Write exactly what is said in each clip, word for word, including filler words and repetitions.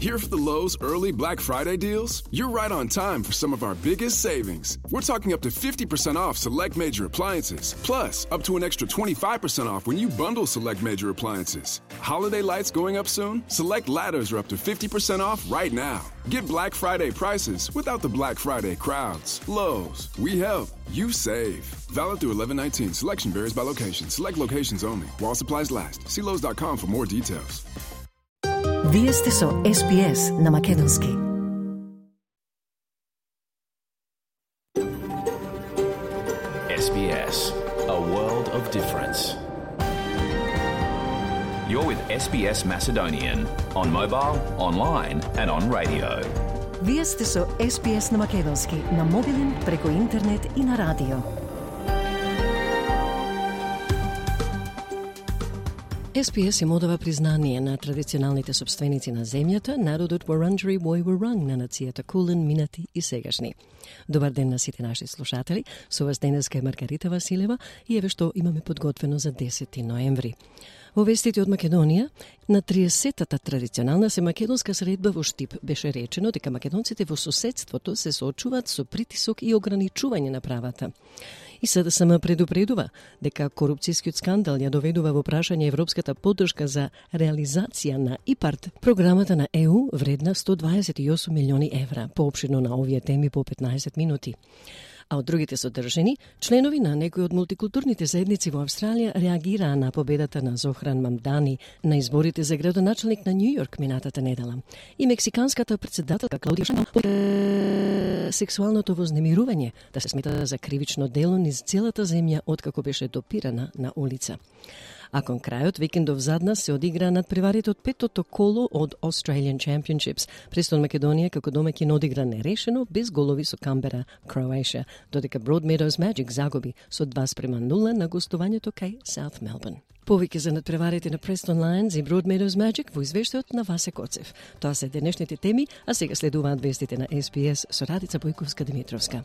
Here for the Lowe's early Black Friday deals? You're right on time for some of our biggest savings. We're talking up to fifty percent off select major appliances, plus up to an extra twenty-five percent off when you bundle select major appliances. Holiday lights going up soon? Select ladders are up to fifty percent off right now. Get Black Friday prices without the Black Friday crowds. Lowe's, we help, you save. Valid through eleven nineteen. Selection varies by location. Select locations only. While supplies last. See Lowe's dot com for more details. Вие сте со Ес Би Ес на македонски. Ес Би Ес, a world of difference. You're with Ес Би Ес Macedonian on mobile, online and on radio. Вие сте со Ес Би Ес на македонски, на мобилен, преку интернет и на радио. Ес Би Ес им одава признание на традиционалните собственици на земјата, народот Вуранџери Вој Вуранг на нацијата Кулен, минати и сегашни. Добар ден на сите наши слушатели, со вас денеска е Маргарита Василева и еве што имаме подготвено за десети ноември. Во вестите од Македонија, на триесеттата традиционална се македонска средба во Штип беше речено дека македонците во соседството се соочуваат со притисок и ограничување на правата. И СДСМ предупредува дека корупцијскиот скандал ја доведува во прашање европската поддршка за реализација на ИПАРД, програмата на Е У вредна сто дваесет и осум милиони евра, поопширно на овие теми по петнаесет минути. А од другите содржани, членови на некои од мултикултурните заедници во Австралија реагираа на победата на Зохран Мамдани на изборите за градоначалник на Њу Јорк минатата недела. И мексиканската председателка Клаудија Шаймон сексуалното вознемирување да се смета за кривично дело низ целата земја откако беше допирана на улица. А кон крајот викендов задна се одигра надпреварите од петото коло од Australian Championships. Престон Македонија како домаќин одигра нерешено без голови со Камбера, Кроатија, додека Broadmeadows Magic загуби со два спрема нула на гостувањето кај South Melbourne. Повеќе за надпреварите на Preston Lions и Broadmeadows Magic во извештајот на Васе Коцев. Тоа се денешните теми, а сега следуваат вестите на Ес Би Ес со Радица Бојковска-Димитровска.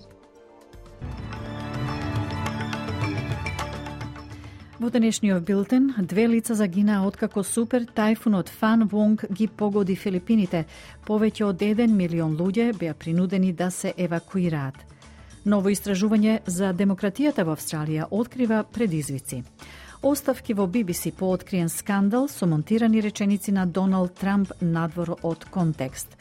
Во денешниот билтен, две лица загинаа откако супер тајфунот Фан Вонг ги погоди Филипините. Повеќе од еден милион луѓе беа принудени да се евакуираат. Ново истражување за демократијата во Австралија открива предизвици. Оставки во Би Би Си по откриен скандал со монтирани реченици на Доналд Трамп надвор од контекст.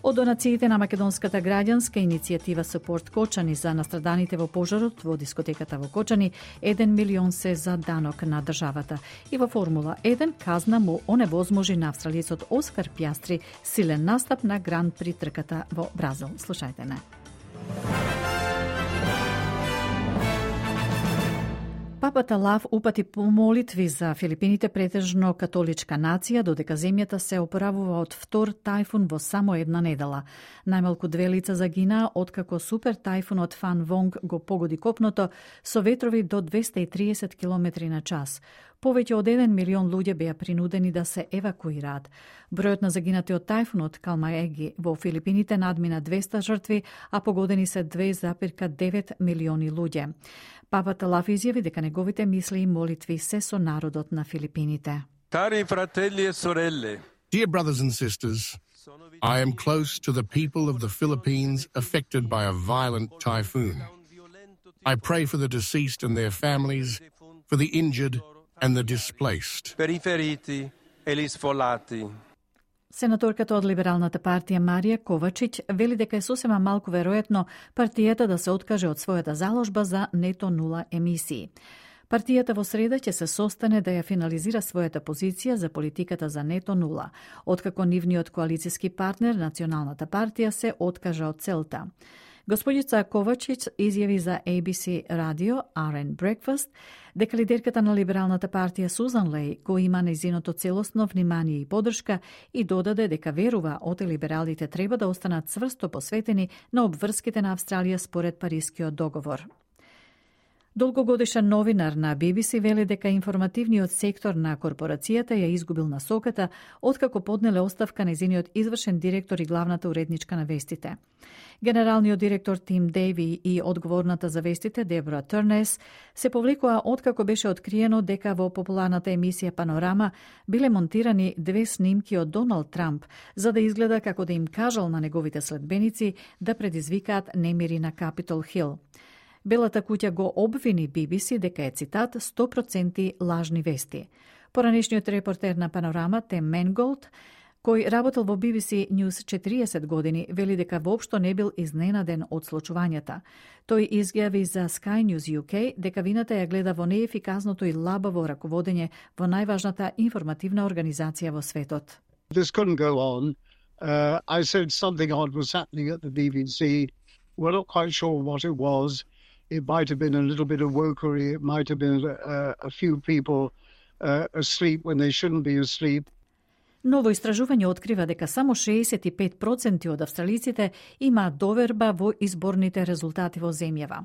Од донациите на македонската граѓанска иницијатива Support Кочани за настраданите во пожарот во дискотеката во Кочани, еден милион се за данок на државата. И во Формула еден казна му оневозможи на австралиецот Оскар Пјастри силен настап на Гран При трката во Бразил. Слушајте не. Папата Лав упати молитви за Филипините, претежно католичка нација, додека земјата се оправува од втор тајфун во само една недела. Најмалку две лица загинаа откако супер тајфунот Фан Вонг го погоди копното со ветрови до двесте и триесет километри на час. Повеќе од еден милион луѓе беа принудени да се евакуираат. Бројот на загинати од тајфунот Калмаеги во Филипините надмина двесте жртви, а погодени се две зарез девет милиони луѓе. Папата Лав изјави дека неговите мисли и молитви се со народот на Филипините. Cari fratelli e sorelle. Dear brothers and sisters, I am close to the people of the Philippines affected by a violent typhoon. I pray for the deceased and their families, for the injured and the displaced. Per i feriti e gli sfollati. Сенаторката од Либералната партија Марија Ковачиќ вели дека е сосема малку веројатно партијата да се откаже од својата заложба за нето нула емисии. Партијата во среда ќе се состане да ја финализира својата позиција за политиката за нето нула, откако нивниот коалициски партнер, Националната партија, се откажа од целта. Господица Ковачиќ изјави за Ей Би Си радио Ар Ен Breakfast дека лидерката на Либералната партија Сузан Леј го има нејзиното целосно внимание и поддршка и додаде дека верува оте либералите треба да останат цврсто посветени на обврските на Австралија според Парискиот договор. Долгогодишен новинар на Би Би Си вели дека информативниот сектор на корпорацијата ја изгубил насоката откако поднеле оставка нејзиниот извршен директор и главната уредничка на вестите. Генералниот директор Тим Дейви и одговорната за вестите Дебора Турнес се повлекоа откако беше откриено дека во популарната емисија Панорама биле монтирани две снимки од Доналд Трамп за да изгледа како да им кажал на неговите следбеници да предизвикаат немири на Капитол Хил. Белата куќа го обвини Би Би Си дека е, цитат, сто проценти лажни вести. Поранешниот репортер на Панорама, Тем Менголд, кој работел во Би Би Си News четириесет години, вели дека воопшто не бил изненаден од случувањата. Тој изјави за Sky News Ю Кей дека вината ја гледа во неефикасното и лабаво раководење во најважната информативна организација во светот. This couldn't go on. Uh, I said something odd was happening at the B B C. We're not quite sure what it was. It might have been a little bit of wokery. It might have been a, a few people uh, asleep when they shouldn't be asleep. Ново истражување открива дека само шеесет и пет проценти од австралиците имаат доверба во изборните резултати во земјава.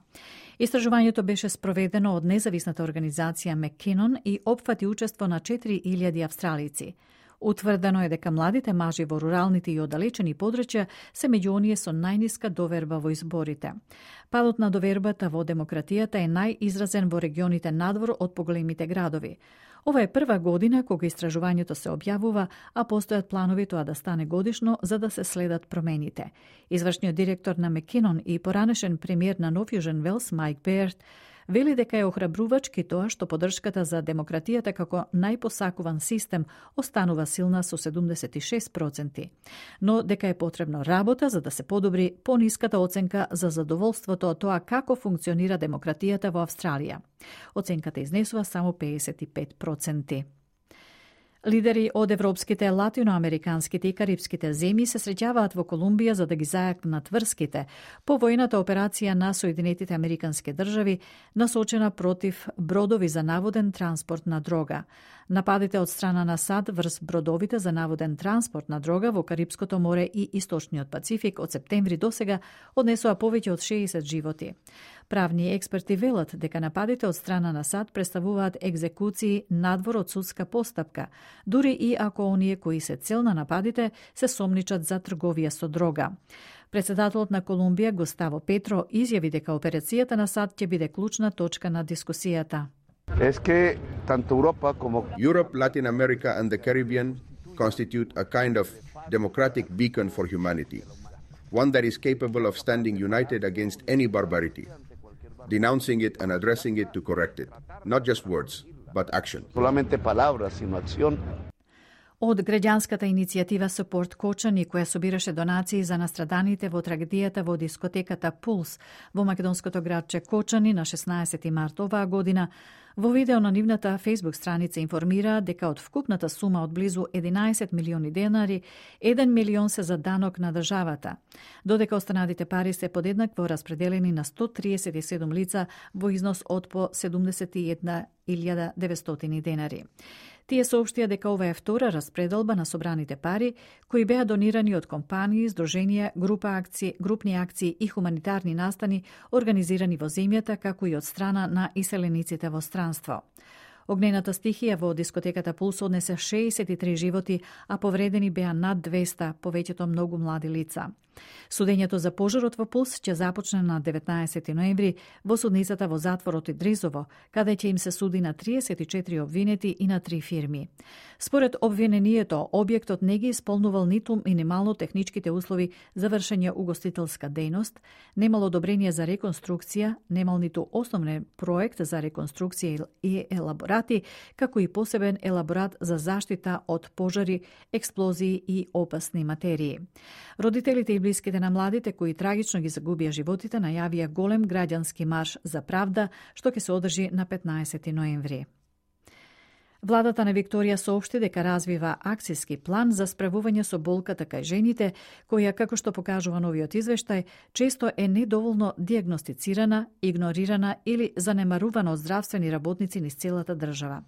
Истражувањето беше спроведено од независната организација Маккинон и опфати учество на четири илјади австралици. Утврдено е дека младите мажи во руралните и оддалечени подрачја се меѓу оние со најниска доверба во изборите. Падот на довербата во демократијата е најизразен во регионите надвор од поголемите градови. Ова е прва година кога истражувањето се објавува, а постојат планови тоа да стане годишно за да се следат промените. Извршниот директор на Маккинон и поранешен премиер на Нов Јужен Велс Майк Беард вели дека е охрабрувачки тоа што поддршката за демократијата како најпосакуван систем останува силна со седумдесет и шест проценти, но дека е потребно работа за да се подобри пониската оценка за задоволството од тоа како функционира демократијата во Австралија. Оценката изнесува само пеесет и пет проценти. Лидери од европските, латиноамериканските и карипските земји се среќаваат во Колумбија за да ги зајакнат врските по војната операција на Соединетите Американски држави насочена против бродови за наводен транспорт на дрога. Нападите од страна на САД врз бродовите за наводен транспорт на дрога во Карипското море и Источниот Пацифик од септември досега однесоа повеќе од шеесет животи. Правни експерти велат дека нападите од страна на САД представуваат екзекуции надвор од судска постапка, дури и ако оние кои се цел на нападите се сомничат за трговија со дрога. Председателот на Колумбија Густаво Петро изјави дека операцијата на САД ќе биде клучна точка на дискусијата. Es que tanto Europa como Europe, Latin America and the Caribbean constitute a kind of democratic beacon for humanity, one that is capable of standing united against any barbarity, denouncing it and addressing it to correct it, not just words, but action. Solamente palabras, sino acción. Од граѓанската иницијатива Support Кочани, која собираше донации за настраданите во трагедијата во дискотеката Пулс во македонското градче Кочани на шеснаесети март оваа година, во видео на нивната Facebook страница информира дека од вкупната сума од близу единаесет милиони денари, еден милион се за данок на државата, додека останатите пари се подеднакво распределени на сто триесет и седум лица во износ од по седумдесет и една илјада деветстотини денари. Тие соопштија дека ова е втора распределба на собраните пари, кои беа донирани од компании, здруженија, група акции, групни акции и хуманитарни настани организирани во земјата, како и од страна на иселениците во странство. Огнената стихија во дискотеката Пулс однесе шеесет и три животи, а повредени беа над двеста, повеќето многу млади лица. Судењето за пожарот во Пулс ќе започне на деветнаесети ноември во судницата во затворот Идризово, каде ќе им се суди на триесет и четири обвинети и на три фирми. Според обвинението, објектот не ги исполнувал ниту минимално техничките услови за вршење угостителска дејност, немал одобрение за реконструкција, немал ниту основен проект за реконструкција и елаборати, како и посебен елаборат за заштита од пожари, експлозии и опасни материи. Родителите и блиските на младите кои трагично ги загубија животите најавија голем граѓански марш за правда, што ќе се одржи на петнаесети ноември. Владата на Викторија соопшти дека развива акцијски план за справување со болката кај жените, која, како што покажува новиот извештај, често е недоволно дијагностицирана, игнорирана или занемарувана од здравствени работници низ целата држава.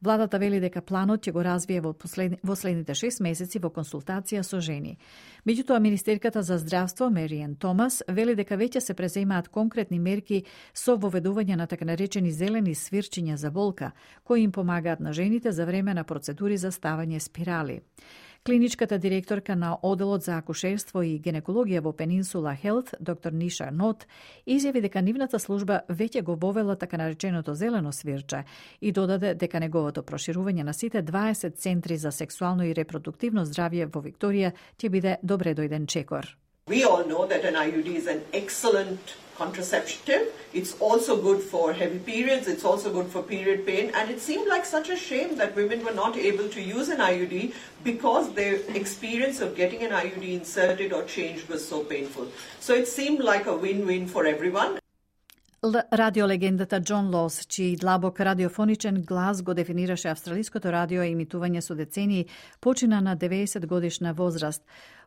Владата вели дека планот ќе го развие во, послед... во следните шест месеци во консултација со жени. Меѓутоа, министерката за здравство Мериен Томас вели дека веќе се преземаат конкретни мерки со воведување на така наречени зелени свирчиња за болка, кои им помагаат на жените за време на процедури за ставање спирали. Клиничката директорка на Оделот за акушерство и гинекологија во Пенинсула Хелт, доктор Ниша Нот, изјави дека нивната служба веќе го вовела така нареченото зелено свирче и додаде дека неговото проширување на сите дваесет центри за сексуално и репродуктивно здравје во Викторија ќе биде добре дојден чекор. We all know that an I U D is an excellent contraceptive. It's also good for heavy periods. It's also good for period pain. And it seemed like such a shame that women were not able to use an I U D because their experience of getting an I U D inserted or changed was so painful. So it seemed like a win-win for everyone. Радиолегендата Џон Лос, чиј длабок радиофоничен глас го дефинираше австралиското радио емитување со децении, почина на деветдесет годишна возраст.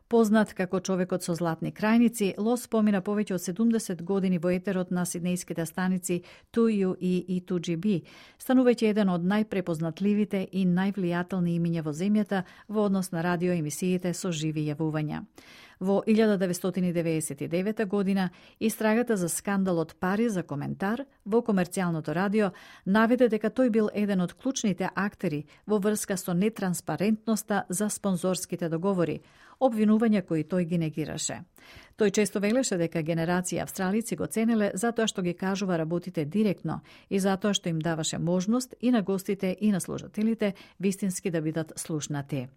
Познат како човекот со златни крајници, Лос помина повеќе од седумдесет години во етерот на сиднејските станици ту ю и и ту џи би, станувајќи еден од најпрепознатливите и највлијателни имиња во земјата во однос на радиоемисиите со живи јавувања. Во илјада деветстотини деветдесет и девета година, истрагата за скандалот пари за коментар во комерцијалното радио наведе дека тој бил еден од клучните актери во врска со нетранспарентноста за спонзорските договори, обвинувања кои тој ги негираше. Тој често велеше дека генерации австралици го ценеле затоа што ги кажува работите директно и затоа што им даваше можност и на гостите и на слушателите вистински да бидат слушнати.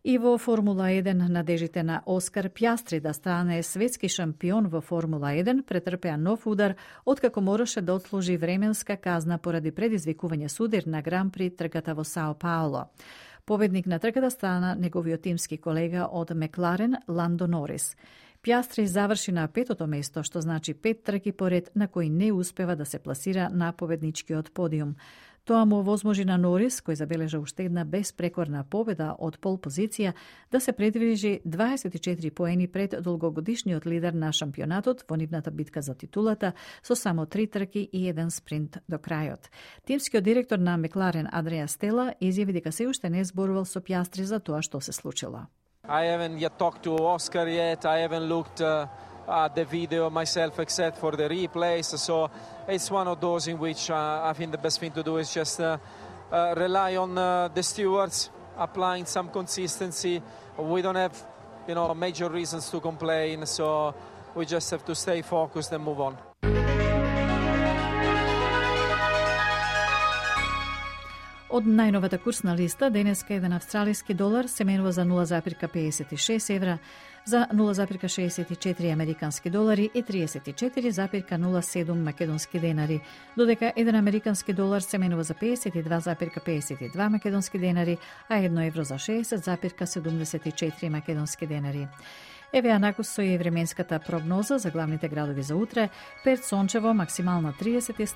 И во Формула еден надежите на Оскар Пјастри да стане светски шампион во Формула еден претрпеа нов удар откако мораше да отслужи временска казна поради предизвикување судир на Гран При трката во Сао Пауло. Победник на трката стана неговиот тимски колега од Мекларен Ландо Норис. Пјастри заврши на петото место, што значи пет трки поред на кои не успева да се пласира на победничкиот подиум. Тоа му овозможи на Норис, кој забележа уште една безпрекорна победа од пол позиција, да се предвижи дваесет и четири поени пред долгогодишниот лидер на шампионатот во нивната битка за титулата со само три трки и еден спринт до крајот. Тимскиот директор на Мекларен Андреа Стела изјави дека се уште не зборувал со Пјастри за тоа што се случило. I haven't yet talked to Oscar yet. I haven't looked uh, at the video myself except for the replays. So it's one of those in which uh, I think the best thing to do is just uh, uh, rely on uh, the stewards applying some consistency. We don't have, you know, major reasons to complain. So we just have to stay focused and move on. Од најновата курсна листа, денеска еден австралиски долар се менува за нула запирка педесет и шест евра, за нула запирка шеесет и четири американски долари и триесет и четири запирка нула седум македонски денари, додека еден американски долар се менува за педесет и два запирка педесет и два македонски денари, а едно евро за шеесет запирка седумдесет и четири македонски денари. Еве анакус со и временската прогноза за главните градови за утре. Перт сончево, максимална триесет и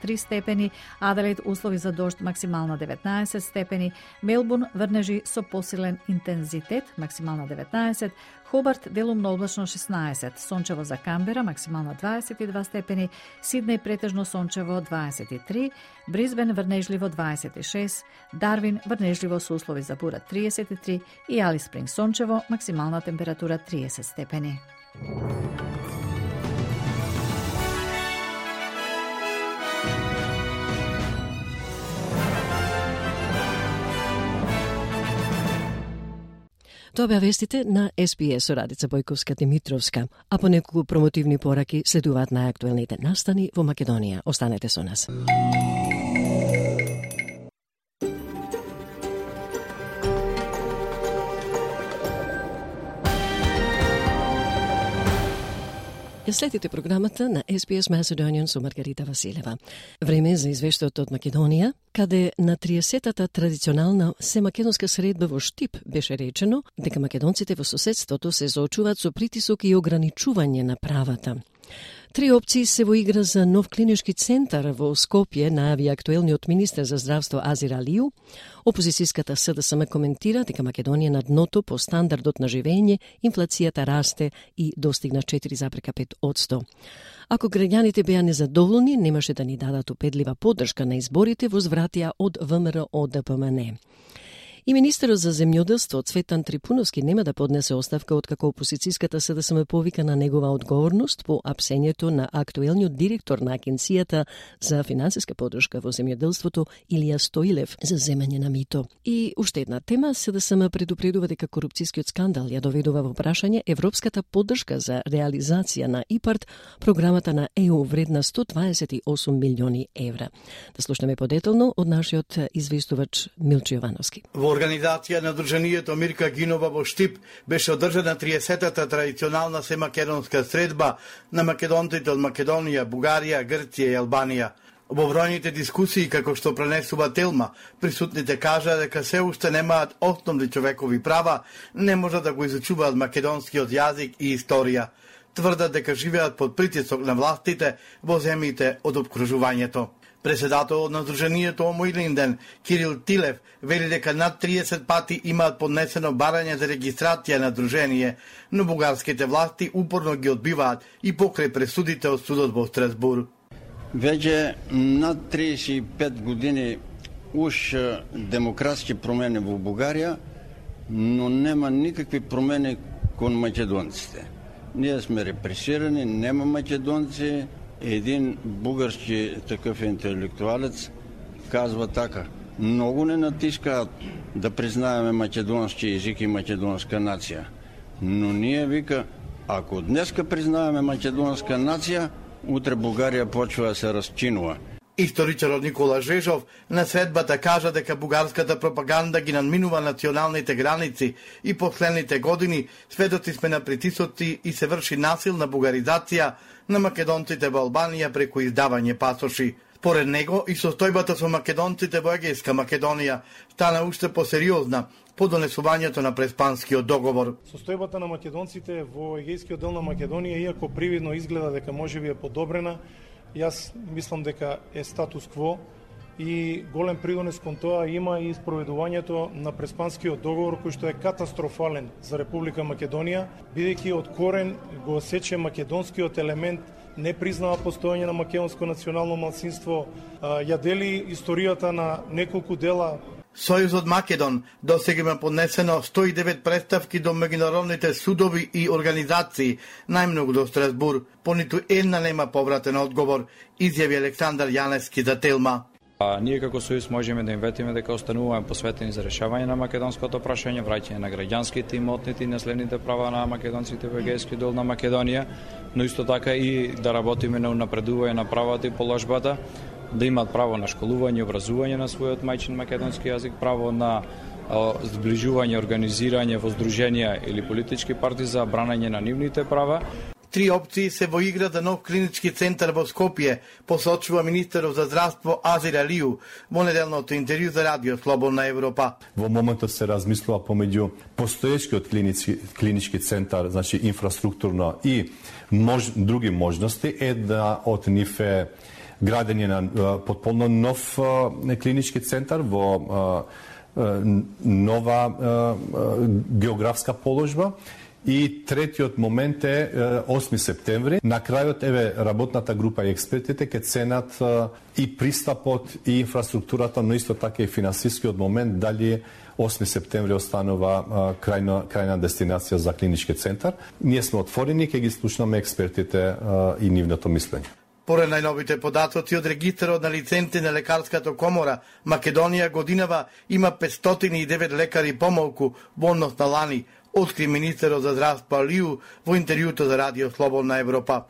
три степени, Аделаид услови за дожд, максимална деветнаесет степени, Мелбурн врнежи со посилен интензитет, максимална деветнаесет, Хобарт делумно облачно шеснаесет, сончево за Камбера, максимална дваесет и два степени, Сиднеј претежно сончево дваесет и три, Брисбен врнежливо дваесет и шест, Дарвин врнежливо со услови за бура триесет и три и Алис Спринг сончево, максимална температура триесет степени. Тоа беа вестите на Ес Би Ес со Радица Бојковска-Димитровска, а по неколку промотивни пораки следуваат најактуелните настани во Македонија. Останете со нас. Ја следите програмата на Ес Би Ес Macedonian со Маргарита Василева. Време за извештајот од Македонија, каде на триесетата традиционална семакедонска средба во Штип беше речено дека македонците во соседството се соочуваат со притисок и ограничување на правата. Три опции се во игра за нов клинички центар во Скопје, најави актуелниот министер за здравство Азир Алију. Опозицијската СДСМ коментира дека Македонија на дното по стандардот на живење, инфлацијата расте и достигна четири запрека пет одсто. Ако граѓаните беа незадоволни, немаше да ни дадат упедлива поддршка на изборите, возвратија од ВМРО ДПМН. И министерот за земјоделство Цветан Трипуновски нема да поднесе оставка откако опозицијската СДСМ повика на негова одговорност по апсењето на актуелниот директор на Агенцијата за финансиска поддршка во земјоделството Илија Стоилев за земање на мито. И уште една тема, СДСМ предупредува дека корупцијскиот скандал ја доведува во прашање европската поддршка за реализација на ИПАРД, програмата на Е У вредна сто дваесет и осум милиони евра. Да слушнеме подетално од нашиот известувач Милчо Јовановски. Во организација на Друженијето Мирка Гинова во Штип беше одржана триесетата традиционална семакедонска средба на македонците од Македонија, Бугарија, Грција и Албанија. Во бројните дискусии, како што пренесува Телма, присутните кажа дека се уште немаат основни човекови права, не можат да го изучуваат македонскиот јазик и историја. Тврдат дека живеат под притисок на властите во земјите од опкружувањето. Председателот на Сдруженијето Омо Илинден, Кирил Тилев, вели дека над триесет пати имаат поднесено барање за регистрација на дружение, но бугарските власти упорно ги одбиваат и покрај пресудите од судот во Страсбург. Веќе над триесет и пет години уж демократски промени во Бугарија, но нема никакви промени кон македонците. Ние сме репресирани, нема македонци. Един бугарски такъв интелектуалец казва така: много не натискаат да признаеме македонски език и македонска нација. Но ние, вика, ако днеска признаеме македонска нација, утре Бугарија почва да се разчинува. Историчарот Никола Жежов на средбата кажа дека бугарската пропаганда ги надминува националните граници и последните години сведоци сме на притисоци и се врши насилна бугаризација на македонците во Албанија преку издавање пасоши. Поред него и состојбата со македонците во Егејска Македонија стана уште посериозна по донесувањето на Преспанскиот договор. Состојбата на македонците во Егејскиот дел на Македонија, иако привидно изгледа дека можеби е подобрена, јас мислам дека е статус кво и голем придонес кон тоа има и спроведувањето на Преспанскиот договор, кој што е катастрофален за Република Македонија, бидејќи од корен го сече македонскиот елемент, не признава постоење на македонско национално малцинство, ја дели историјата на неколку дела. Сојузот Македон досега има поднесено сто и девет представки до меѓународните судови и организации, најмногу до Страсбург. По ниту една нема повратен одговор, изјави Александар Јаневски за Телма. А, ние како Сојуз можеме да им ветиме дека остануваме посветени за решавање на македонското прашање, враќање на граѓанските, имотните и наследните права на македонците во Егејскиот дел на Македонија, но исто така и да работиме на унапредување на правата и положбата, да имаат право на школување, образување на својот мајчин македонски јазик, право на зближување, организирање во здруженија или политички партии за бранање на нивните права. Три опции се во игра за нов клинички центар во Скопје, посочува министерот за здравство Азир Алију во неделното интервју за Радио Слободна Европа. Во моментот се размислува помеѓу постоечкиот клинички, клинички центар, значи инфраструктурно и мож, други можности, една од нив е градење на потполно нов клинички центар во нова географска положба. И третиот момент е осми септември. На крајот, еве, работната група и експертите ќе ценат и пристапот и инфраструктурата, но исто така и финансискиот момент, дали осми септември останува крајна, крајна дестинација за клинички центар. Ние сме отворени, ќе ги слушнаме експертите и нивното мислење. Поред најновите податоци од регистарот на лиценци на лекарската комора, Македонија годинава има петстотини и девет лекари помалку во однос на лани, откри министерот за здравство Алију во интервјуто за Радио Слободна Европа.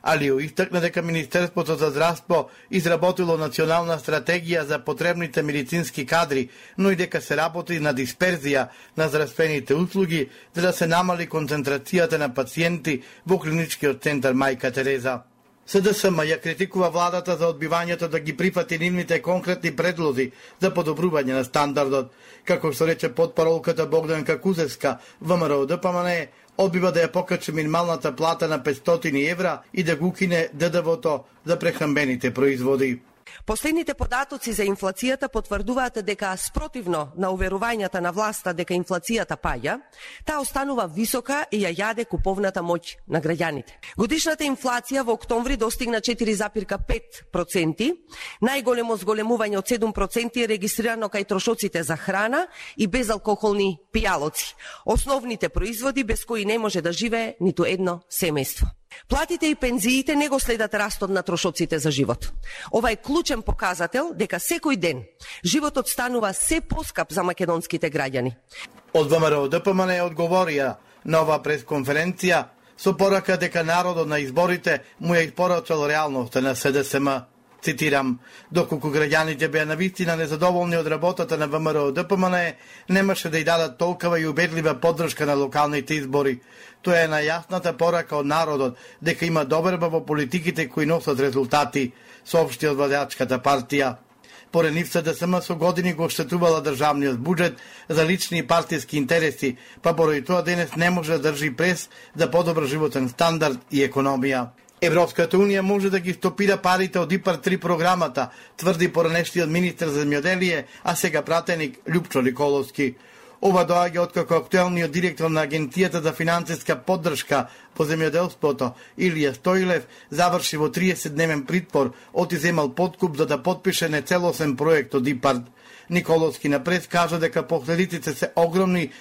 Алију истакна дека Министерството за здравство изработило национална стратегија за потребните медицински кадри, но и дека се работи на дисперзија на здравствените услуги за да се намали концентрацијата на пациенти во клиничкиот центар Мајка Тереза. СДСМ ја критикува владата за одбивањето да ги прифати нивните конкретни предлози за подобрување на стандардот. Како што рече потпаролката Богданка Кузевска, ВМРО ДПМН, одбива да ја покачи минималната плата на петстотини евра и да го укине Д Д В-то за прехранбените производи. Последните податоци за инфлацијата потврдуваат дека спротивно на уверувањата на власта дека инфлацијата паѓа, таа останува висока и ја јаде куповната моќ на граѓаните. Годишната инфлација во октомври достигна четири запирка пет проценти, најголемо зголемување од седум проценти е регистрирано кај трошоците за храна и безалкохолни пијалоци, основните производи без кои не може да живее ниту едно семејство. Платите и пензиите не го следат растот на трошоците за живот. Ова е клучен показател дека секој ден животот станува се поскап за македонските граѓани. Од Вм Р О Д П М Н одговорија на оваа пресконференција со порака дека народот на изборите му ја испорачал реалноста на С Д С М. Цитирам, доколку граѓаните беа навистина незадоволни од работата на Вм Р О Д П М Н, немаше да ја дадат толкова и убедлива поддршка на локалните избори. Тоа е најасната порака од народот дека има доверба во политиките кои носат резултати, соопшти од владеачката партија. Поред нив С Д С М со години го оштетувала државниот буџет за лични и партиски интереси, па поради тоа денес не може да држи прес за подобар животен стандард и економија. Европската унија може да ги стопира парите од ИПАР три програмата, тврди поранешниот министер за земјоделие, а сега пратеник Љупчо Николовски. Ова доаѓа откако актуелниот директор на Агенцијата за финансиска поддршка по земјоделството, Илија Стоилев, заврши во триесетдневен притвор, отиземал подкуп за да подпише нецелосен проект од ИПАР. Николовски на прес кажа дека последиците се огромни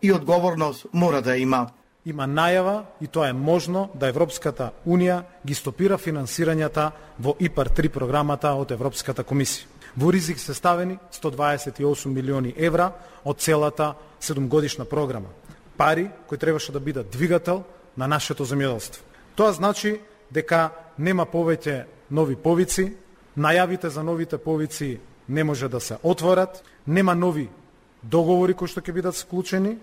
и одговорност мора да има. Има најава, и тоа е можно, да Европската Унија ги стопира финансирањата во ИПАР три програмата од Европската комисија. Во ризик се ставени сто дваесет и осум милиони евра од целата седумгодишна програма. Пари кои требаше да бидат двигател на нашето земјоделство. Тоа значи дека нема повеќе нови повици, најавите за новите повици не може да се отворат, нема нови договори кои што ќе бидат склучени,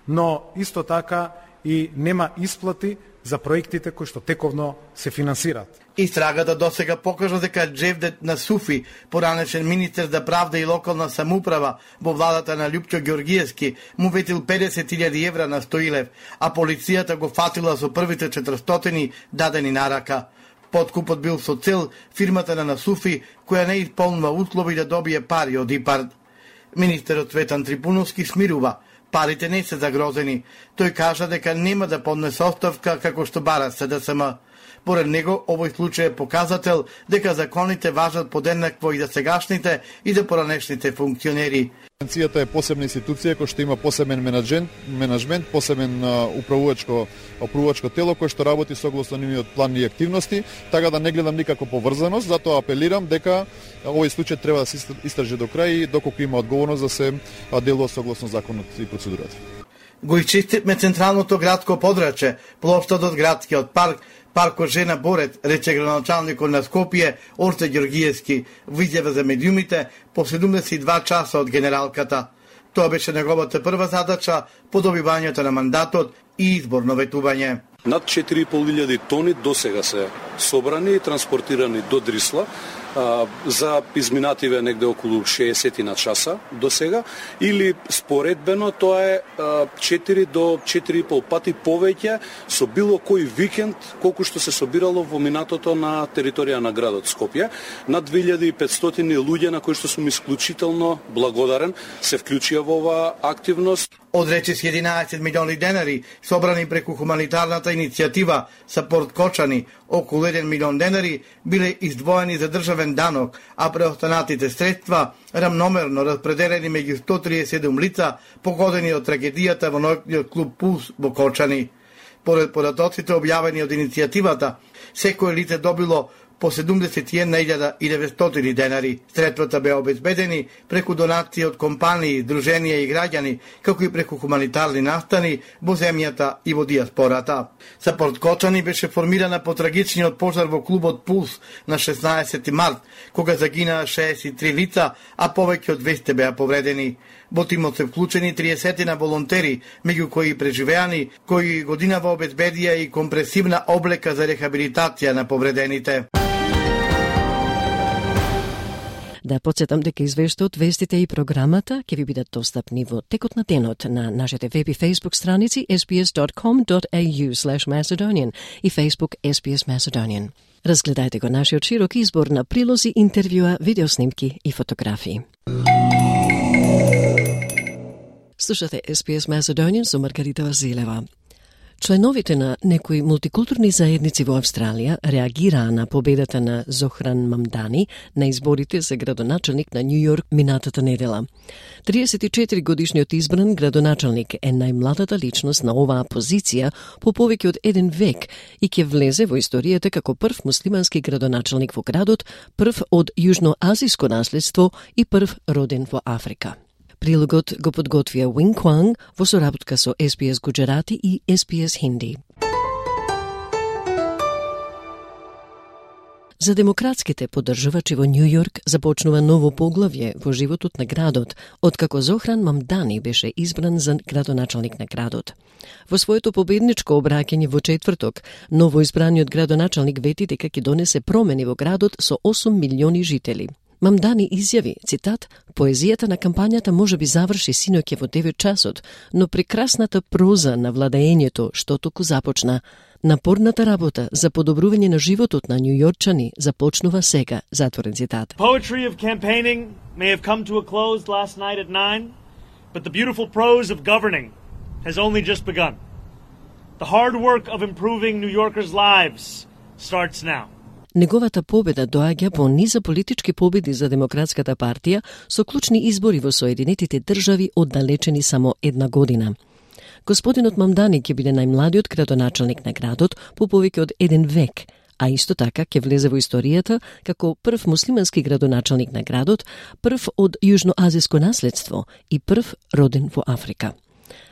но исто така и нема исплати за проектите кои што тековно се финансираат. Истрагата досега покажа дека Джевдет Насуфи, поранешен министер за правда и локална самоуправа во владата на Љупчо Ѓоргиевски, му ветил педесет илјади евра на Стоилев, а полицијата го фатила со првите четиристотини дадени на рака. Подкупот бил со цел фирмата на Насуфи, која не исполнува услови да добие пари од ИПАР. Министерот Цветан Трипуновски смирува. Парите не се загрозени. Тој кажа дека нема да поднесе оставка како што бара С Д С М. Поред него, овој случај е показател дека законите важат подеднакво и за сегашните и за поранешните функционери. Агенцијата е посебна институција која што има посебен менаџмент, менаџмент управувачко управувачко управувачко тело кој што работи согласно нивниот план и активности, така да не гледам никако поврзаност, затоа апелирам дека овој случај треба да се истражи до крај и доколку има одговорност да се делува согласно законот и процедурата. Го изчистивме централното градско подрачје, плоштадот градскиот парк, паркот Жена Борец, рече градоначалникот на Скопје Орце Ѓоргиевски во изјава за медиумите по седумдесет и два часа од генералката. Тоа беше неговата прва задача по добивањето на мандатот и изборно ветување. Над четири и пол илјади тони досега се собрани и транспортирани до Дрисла. Uh, за изминативе негде околу шеесет на часа до сега, или споредбено тоа е uh, четири до четири и пол пати повеќе со било кој викенд колку што се собирало во минатото на територија на градот Скопје. Над две илјади и петстотини луѓе на кои што сум исклучително благодарен се вклучија во оваа активност. Од речиси единаесет милиони денари собрани преку хуманитарната иницијатива Сапорт Кочани, околу еден милион денари биле издвоени за државен данок, а преостанатите средства рамномерно распределени меѓу сто триесет и седум лица погодени од трагедијата во ноќниот клуб Пулс во Кочани. Поред податоците објавени од иницијативата, секој лице добило по седумдесет и една илјада и деветстотини денари. Средствата беа обезбедени преку донации од компании, друженија и граѓани, како и преку хуманитарни настани во земјата и во диаспората. Сапорт Кочани беше формирана по трагичниот пожар во клубот Пулс на шеснаесети март, кога загинаа шеесет и три лица, а повеќе од двесте беа повредени. Во тимот се вклучени триесет волонтери, меѓу кои преживеани, кои годинава обезбедија и компресивна облека за рехабилитација на повредените. Да подсетам дека извештаот, вестите и програмата ќе ви бидат достапни во текот на денот на нашите веб и Facebook страници ес би ес dot com dot a u slash Macedonian и Facebook ес би ес Macedonian. Разгледајте го нашиот широк избор на прилози, интервјуа, видеоснимки и фотографии. Слушате ес би ес Macedonian со Маргарита Василева. Членовите на некои мултикултурни заедници во Австралија реагираа на победата на Зохран Мамдани на изборите за градоначалник на Њу Јорк минатата недела. триесет и четири годишниот избран градоначалник е најмладата личност на оваа позиција по повеќе од еден век и ќе влезе во историјата како прв муслимански градоначалник во градот, прв од јужноазиско наследство и прв роден во Африка. Прилогот го подготвија Wing Kwang во соработка со ес би ес Gujarati и ес би ес Hindi. За демократските поддржувачи во Њу Јорк започнува ново поглавје во животот на градот, откако Зохран Мамдани беше избран за градоначалник на градот. Во своето победничко обраќање во четврток, новоизбраниот градоначалник вети дека ќе донесе промени во градот со осум милиони жители. Мамдани изјави, цитат, поезијата на кампањата може би заврши синоќе во девет часот, но прекрасната проза на владеењето што току започна, напорната работа за подобрување на животот на њујорчани започнува сега, затворен цитат. Poetry of campaigning may have come to a close last night at nine, but the beautiful prose of governing has only just begun. The hard work of improving New Yorkers' lives starts now. Неговата победа доаѓа по низа политички победи за Демократската партија со клучни избори во Соединетите држави оддалечени само една година. Господинот Мамдани ќе биде најмладиот градоначалник на градот по повеќе од еден век, а исто така ќе влезе во историјата како прв муслимански градоначалник на градот, прв од јужноазиско наследство и прв роден во Африка.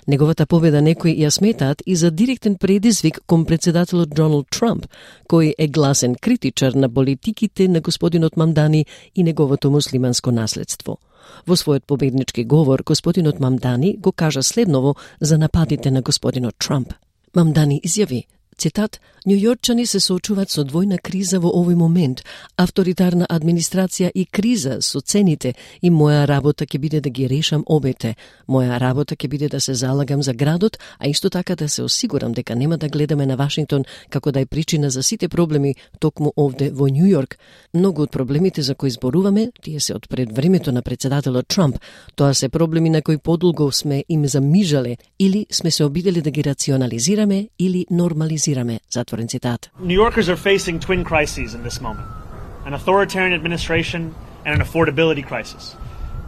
Неговата победа некои ја сметаат и за директен предизвик кон председателот Доналд Трамп, кој е гласен критичар на политиките на господинот Мамдани и неговото муслиманско наследство. Во својот победнички говор, господинот Мамдани го кажа следново за нападите на господинот Трамп. Мамдани изјави, цитат, Њујорчани се соочуваат со двојна криза во овој момент, авторитарна администрација и криза со цените, и моја работа ќе биде да ги решам обете. Моја работа ќе биде да се залагам за градот, а исто така да се осигурам дека нема да гледаме на Вашингтон како да е причина за сите проблеми токму овде во Њу Јорк. Многу од проблемите за кои зборуваме, тие се од пред времето на председателот Трамп. Тоа се проблеми на кои подолго сме им замижале или сме се обидели да ги рационализираме или нормализираме. New Yorkers are facing twin crises in this moment, an authoritarian administration and an affordability crisis.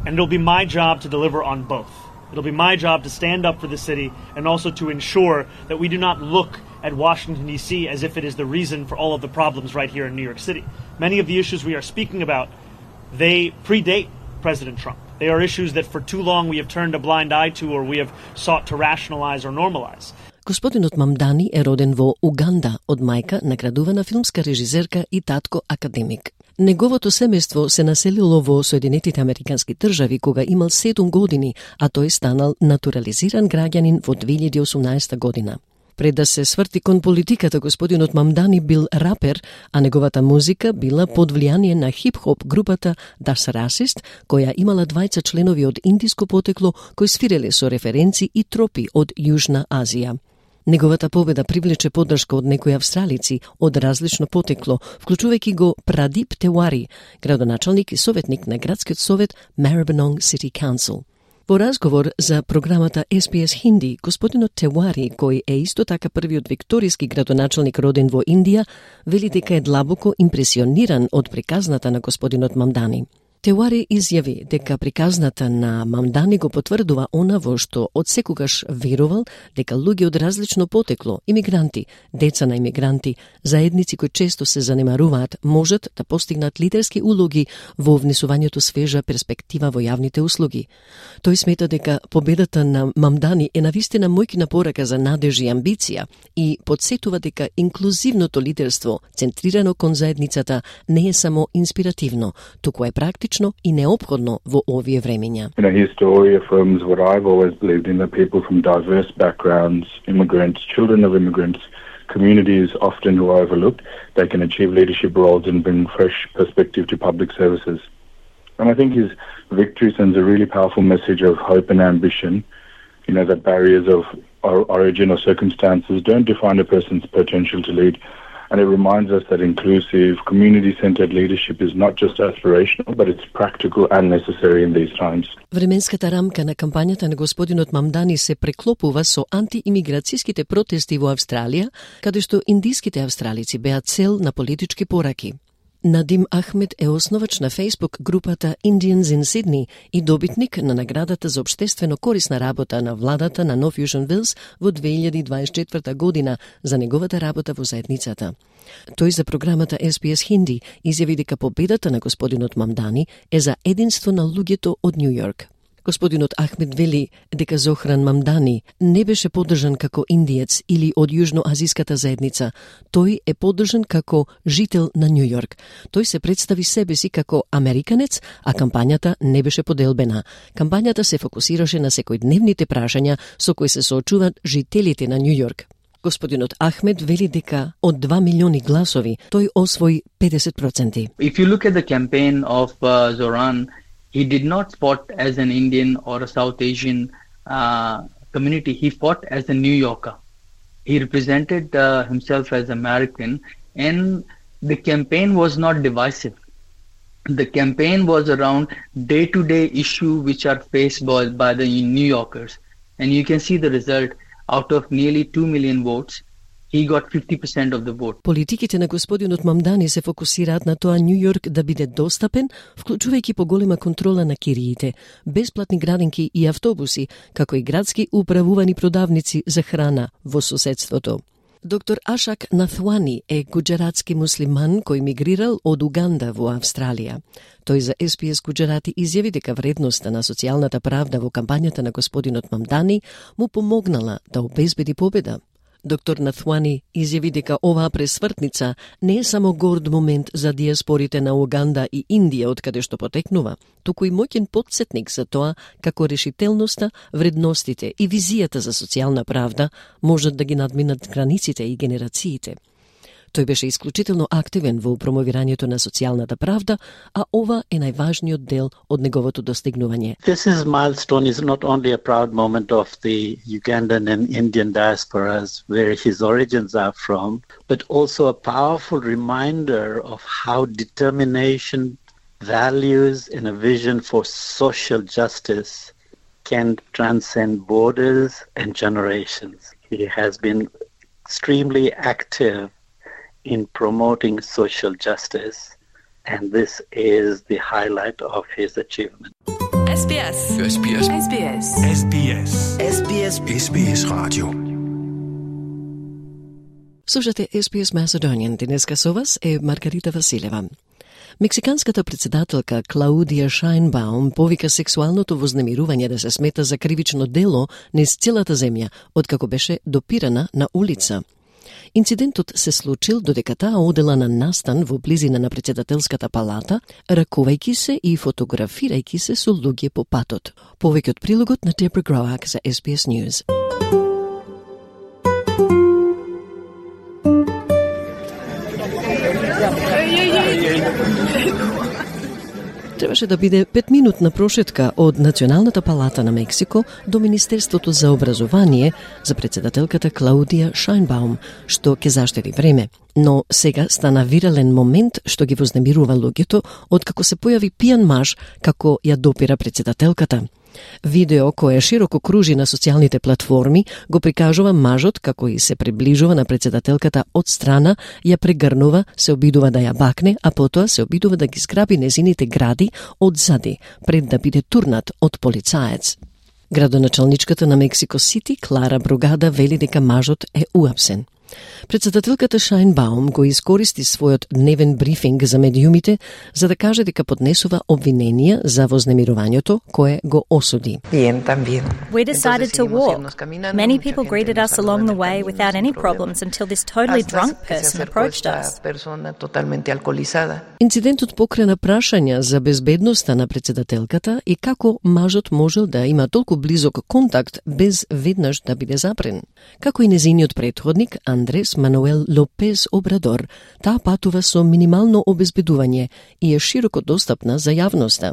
And it'll be my job to deliver on both. It'll be my job to stand up for the city and also to ensure that we do not look at Washington, D C as if it is the reason for all of the problems right here in New York City. Many of the issues we are speaking about, they predate President Trump. They are issues that for too long we have turned a blind eye to or we have sought to rationalize or normalize. Господинот Мамдани е роден во Уганда од мајка наградувана филмска режисерка и татко академик. Неговото семејство се населило во Соединетите Американски држави кога имал седум години, а тој станал натурализиран граѓанин во две илјади и осумнаесета година. Пред да се сврти кон политиката, господинот Мамдани бил рапер, а неговата музика била под влијание на хип-хоп групата Das Racist, која имала двајца членови од индиско потекло кои свиреле со референци и тропи од Јужна Азија. Неговата победа привлече поддршка од некои австралици од различно потекло, вклучувајќи го Прадип Тевари, градоначалник и советник на градскиот совет Maribyrnong City Council. Во разговор за програмата ес би ес Hindi, господинот Тевари, кој е исто така првиот викторијски градоначалник роден во Индија, вели дека е длабоко импресиониран од приказната на господинот Мамдани. Тевари изјави дека приказната на Мамдани го потврдува она во што од секогаш верувал, дека луѓе од различно потекло, имигранти, деца на имигранти, заедници кои често се занемаруваат, можат да постигнат лидерски улоги во внесувањето свежа перспектива во јавните услуги. Тој смета дека победата на Мамдани е навистина мојкина порака за надежи и амбиција и подсетува дека инклузивното лидерство, центрирано кон заедницата, не е само инспиративно, туку е практично и неопходно во овие времења. You know, his story affirms what I've always believed in, that people from diverse backgrounds, immigrants, children of immigrants, communities often who are overlooked, they can achieve leadership roles and bring fresh perspective to public services. And I think his victory sends a really powerful message of hope and ambition, you know, that barriers of origin or circumstances don't define a person's potential to lead. And it reminds us that inclusive, community-centered leadership is not just aspirational, but it's practical and necessary in these times. Временската рамка на кампањата на господинот Мамдани се преклопува со антиимиграцијските протести во Австралија, каде што индиските австралици беа цел на политички пораки. Надим Ахмед е основач на Facebook групата Indians in Sydney и добитник на наградата за општествено корисна работа на владата на Нов Јужен Велс во две илјади дваесет и четврта година за неговата работа во заедницата. Тој за програмата Ес Би Ес Хинди изјави дека победата на господинот Мамдани е за единство на луѓето од Њу Јорк. Господинот Ахмед вели дека Зохран Мамдани не беше поддржан како индиец или од јужноазиската заедница. Тој е поддржан како жител на Њу Јорк. Тој се представи себе си како американец, а кампањата не беше поделбена. Кампањата се фокусираше на секојдневните прашања со кои се соочуваат жителите на Њу Јорк. Господинот Ахмед вели дека од два милиони гласови тој освои педесет проценти. If you look at the campaign of uh, Zoran, he did not fought as an Indian or a South Asian uh, community. He fought as a New Yorker. He represented uh, himself as American, and the campaign was not divisive. The campaign was around day-to-day issues which are faced by, by the New Yorkers. And you can see the result. Out of nearly two million votes, he got fifty percent of the vote. Политиките на господинот Мамдани се фокусираат на тоа Њу Јорк да биде достапен, вклучувајќи поголема контрола на кириите, бесплатни градинки и автобуси, како и градски управувани продавници за храна во соседството. Доктор Ашак Наthwani е гуџератски муслиман кој мигрирал од Уганда во Австралија. Тој за Ес Би Ес Гуџерати изјави дека вредноста на социјалната правда во кампањата на господинот Мамдани му помогнала да обезбеди победа. Доктор Наthwani изјави дека оваа пресвртница не е само горд момент за диаспорите на Уганда и Индија од каде што потекнува, туку и моќен потсетник за тоа како решителноста, вредностите и визијата за социјална правда можат да ги надминат границите и генерациите. Тој беше исклучително активен во промовирањето на социјалната правда, а ова е најважниот дел од неговото достигнување. This is milestone is not only a proud moment of the Ugandan and Indian diasporas where his origins are from, but also a powerful reminder of how determination, values and a vision for social justice can transcend borders and generations. He has been extremely active in promoting social justice, and this is the highlight of his achievement. Ес Би Ес. Ес Би Ес. Ес Би Ес. Ес Би Ес. Ес Би Ес. Ес Би Ес радио. Слушате Ес Би Ес Macedonian. Денеска со вас е Маргарита Василева. Мексиканската председателка Клаудија Шајнбаум повика сексуалното вознемирување да се смета за кривично дело низ целата земја, откако беше допирана на улица. Инцидентот се случил додека таа одела на настан во близина на председателската палата, ракувајќи се и фотографирајќи се со луѓе по патот. Повеќе од прилогот на Дебра Гроак за Ес Би Ес News. Требаше да биде петминутна прошетка од Националната палата на Мексико до Министерството за образование за председателката Клаудија Шајнбаум, што ќе заштеди време. Но сега стана вирален момент што ги вознемирува луѓето откако се појави пијан маж како ја допира председателката. Видео кое широко кружи на социјалните платформи го прикажува мажот како и се приближува на председателката од страна, ја прегрнува, се обидува да ја бакне, а потоа се обидува да ги зграби незините гради одзади, пред да биде турнат од полицаец. Градоначалничката на Мексико Сити, Клара Бругада, вели дека мажот е уапсен. Председателката Шајнбаум го искористи својот дневен брифинг за медиумите за да каже дека поднесува обвиненија за вознемирувањето кое го осуди. We decided to walk. Many people greeted us along the way without any problems until this totally drunk person approached us. Инцидентот покрена прашања за безбедноста на председателката и како мажот можел да има толку близок контакт без веднаш да биде запрен. Како и незиниот претходник Андрес Мануел Лопес Обрадор, таа патува со минимално обезбедување и е широко достапна за јавноста.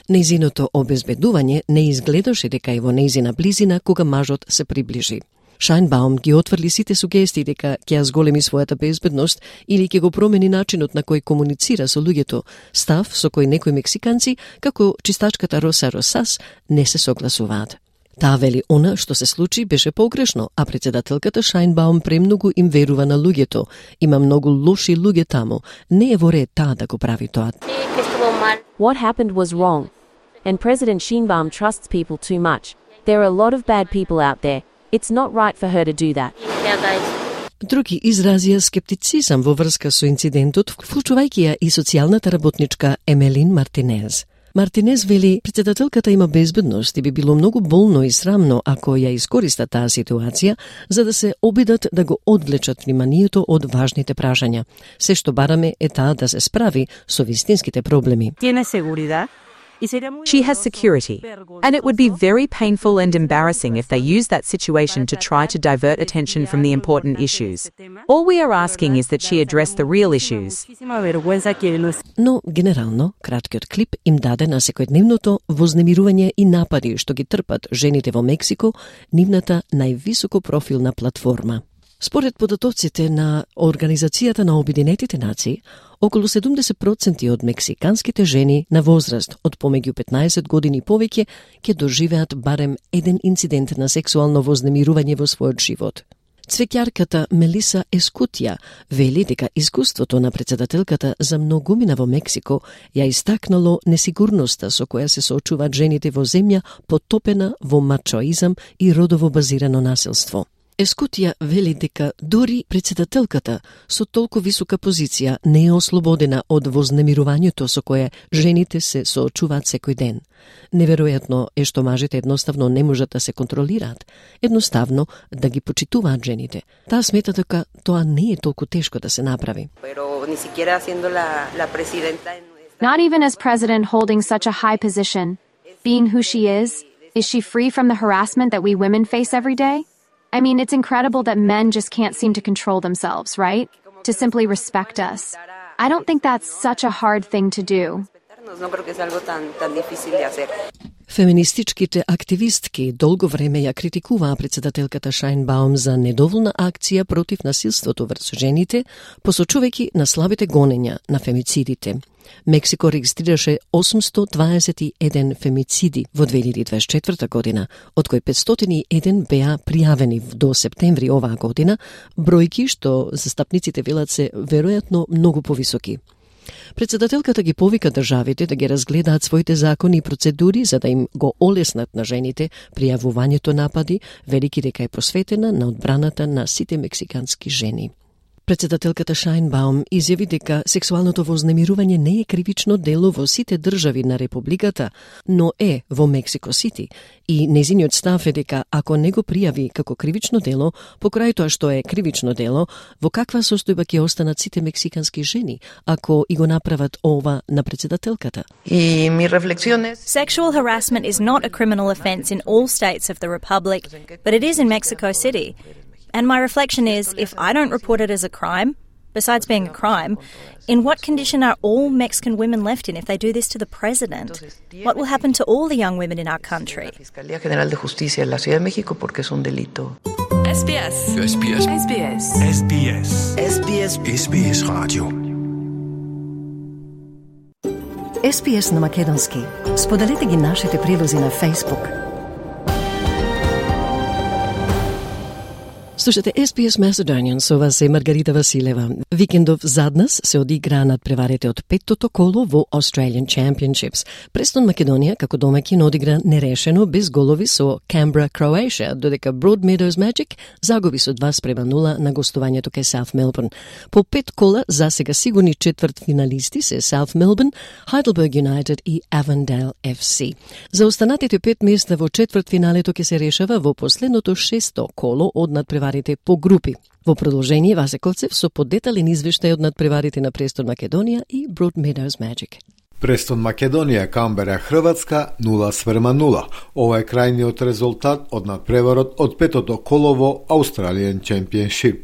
Нејзиното обезбедување не изгледаше дека е во нејзина близина кога мажот се приближи. Шајнбаум ги отврли сите сугестии дека ќе ја зголеми својата безбедност или ќе го промени начинот на кој комуницира со луѓето, став со кој некои мексиканци, како чистачката Роса Росас, не се согласуваат. Таа вели она што се случи беше погрешно, а председателката Шајнбаум премногу им верува на луѓето. Има многу лоши луѓе таму. Не е во ред таа да го прави тоа. What happened was wrong. And President Sheinbaum trusts people too much. There are a lot of bad people out there. It's not right for her to do that. Други изразија скептицизам во врска со инцидентот, вклучувајќи ја и социјалната работничка Емелин Мартинез. Мартинез вели, председателката има безбедност и би било многу болно и срамно ако ја искориста таа ситуација за да се обидат да го одвлечат вниманието од важните прашања. Се што бараме е таа да се справи со вистинските проблеми. She has security, and it would be very painful and embarrassing if they use that situation to try to divert attention from the important issues. All we are asking is that she address the real issues. Но, генерално, краткиот клип им даде на секојдневното вознемирување и напади што ги трпат жените во Мексико, нивната највисоко профилна платформа. Според податоците на Организацијата на Обединетите нации, околу седумдесет проценти од мексиканските жени на возраст од помеѓу петнаесет години и повеќе ќе доживеат барем еден инцидент на сексуално вознемирување во својот живот. Цвеќарката Мелиса Ескутија вели дека искуството на председателката за многумина во Мексико ја истакнало несигурноста со која се соочуваат жените во земја потопена во мачоизам и родово базирано насилство. Ескутија вели дека дури председателката со толку висока позиција не е ослободена од вознемирувањето со кое жените се соочуваат секој ден. Неверојатно е што мажите едноставно не можат да се контролираат, едноставно да ги почитуваат жените. Таа смета дека тоа не е толку тешко да се направи. Not even as president holding such a high position, being who she is, is she free from the harassment that we women face every day? I mean, it's incredible that men just can't seem to control themselves, right? To simply respect us. I don't think that's such a hard thing to do. Феминистичките активистки долго време ја критикуваа председателката Шајнбаум за недоволна акција против насилството врз жените, посочувајќи на слабите гонења на фемицидите. Мексико регистрираше осумсто дваесет и еден фемициди во две илјади дваесет и четврта година, од кои петстотини и еден беа пријавени до септември оваа година, бројки што застапниците велат се веројатно многу повисоки. Председателката ги повика државите да ги разгледаат своите закони и процедури за да им го олеснат на жените пријавувањето напади, велики дека е посветена на одбраната на сите мексикански жени. Председателката Шајнбаум изјави дека сексуалното вознемирување не е кривично дело во сите држави на републиката, но е во Мексико Сити и нејзиниот став е дека ако не го пријави како кривично дело, покрај тоа што е кривично дело, во каква состојба ќе останат сите мексикански жени ако и го направат ова на председателката? Sexual harassment is not a criminal offence in all states of the Republic, but it is in Mexico City. And my reflection is, if I don't report it as a crime, besides being a crime, in what condition are all Mexican women left in if they do this to the president? What will happen to all the young women in our country? S B S. S B S. S B S. S B S. S B S. S B S. S B S Radio. С Б С на македонски. Споделете ги нашите прилози на Facebook. Слушате С Б С Macedonian, со вас е Маргарита Василева. Викендов заднас се одиграа надпреварите од петтото коло во Australian Championships. Престон Македонија, како домаќин, одигра нерешено без голови со Canberra, Croatia, додека Broadmeadows Magic загуби со два спрема нула на гостувањето кај South Melbourne. По пет кола, засега сигурни четврт финалисти се South Melbourne, Heidelberg United и Avondale Ф С. За останатите пет места во четврт финалето ќе се решава во последното шесто коло од надпреварите по групи. Во продолжение Васе Коцев со подетален извештај од надпреварите на Престон Македонија и Broadmeadows Magic. Престон Македонија, Камбера, Хрватска нула спрема нула. Ова е крајниот резултат од надпреварот од петото коло во Australian Championship.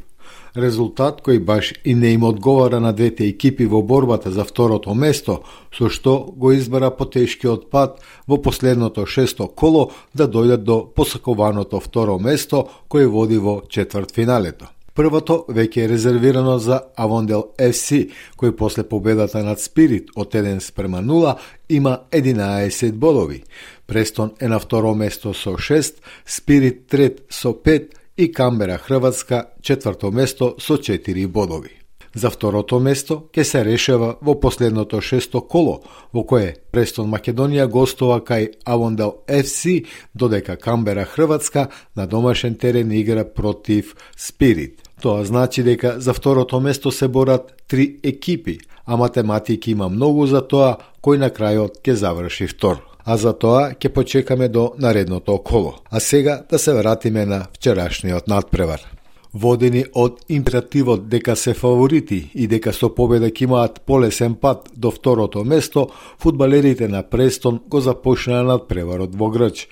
резултат кој баш и не им одговара на двете екипи во борбата за второто место, со што го избара потешкиот пат во последното шесто коло да дојдат до посакуваното второ место кој води во четвртфиналето. Првото веќе е резервирано за Авондел еф си, кој после победата над Спирит од еден спрема нула има единаесет бодови. Престон е на второ место со шест, Спирит трет со пет и Камбера Хрватска четврто место со четири бодови. За второто место ќе се решава во последното шесто коло, во кое Престон Македонија гостува кај Авондел еф си, додека Камбера Хрватска на домашен терен игра против Спирит. Тоа значи дека за второто место се борат три екипи, а математики има многу за тоа кој на крајот ќе заврши втор. А за тоа ќе почекаме до наредното коло. А сега да се вратиме на вчерашниот надпревар. Водени од императивот дека се фаворити и дека со победа ќе имаат полесен пат до второто место, фудбалерите на Престон го започнаа надпреварот во Грч.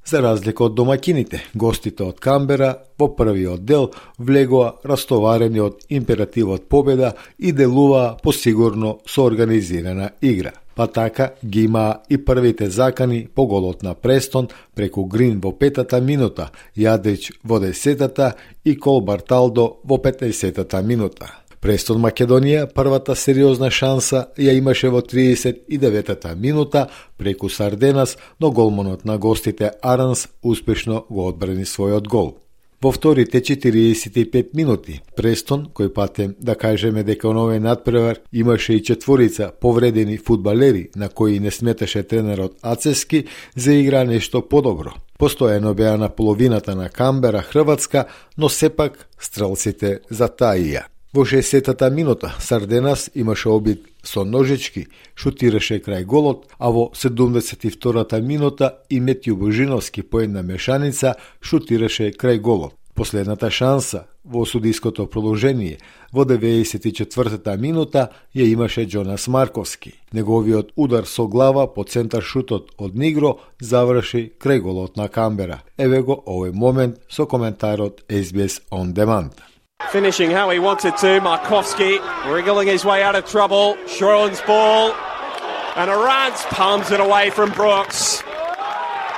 За разлика од домакините, гостите од Камбера во првиот дел влегоа растоварени од императивот победа и делуваа посигурно со организирана игра. Па така ги имаа и првите закани по голот на Престон преку Грин во петата минута, Јадрич во десетата и Кол Барталдо во петдесетата минута. Престон Македонија првата сериозна шанса ја имаше во триесет и деветата минута преку Сарденас, но голманот на гостите Аранс успешно го одбрани својот гол. Во вторите четириесет и пет минути, Престон, кој патем да кажеме дека на овој надпревар имаше и четворица повредени фудбалери на кои не сметаше тренерот Ацевски, заигра нешто подобро. Постојано беа на половината на Камбера Хрватска, но сепак стрелците затаија. Во шестдесетата минута Сарденас имаше обид со ножички, шутираше крај голот, а во седумдесет и втората минута и Метју Божиновски по една мешаница шутираше крај голот. Последната шанса во судиското продолжение во деветдесет и четвртата минута ја имаше Джонас Марковски. Неговиот удар со глава по центар шутот од Нигро заврши крај голот на Камбера. Еве го овој момент со коментарот Ес Би Ес On Demand. Finishing how he wanted to, Markovski wriggling his way out of trouble. Shoreland's ball, and Arantz palms it away from Brooks.